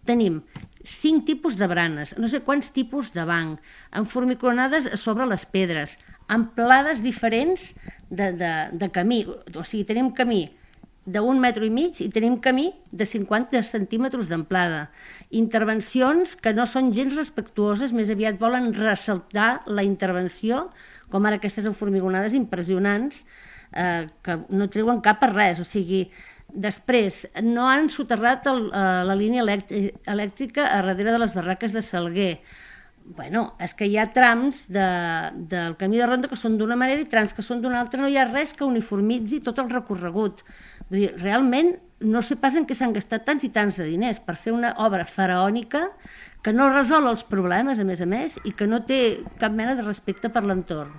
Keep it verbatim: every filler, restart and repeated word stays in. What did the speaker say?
tenim cinc tipus de branes, no sé quants tipus de banc, enformiconades sobre les pedres, amplades diferents de, de, de camí, o sigui, tenim camí d'un metro i mig i tenim camí de cinquanta centímetres d'amplada. Intervencions que no són gens respectuoses, més aviat volen ressaltar la intervenció, com ara aquestes enformigonades impressionants, eh, que no treuen cap a res, o sigui, després, no han soterrat el, eh, la línia elèctrica a darrere de les barraques de Salguer. Bueno, és que hi ha trams de, del camí de ronda que són d'una manera i trams que són d'una altra, no hi ha res que uniformitzi tot el recorregut. Vull dir, realment no sé pas en què s'han gastat tants i tants de diners per fer una obra faraònica que no resol els problemes, a més a més, i que no té cap mena de respecte per l'entorn.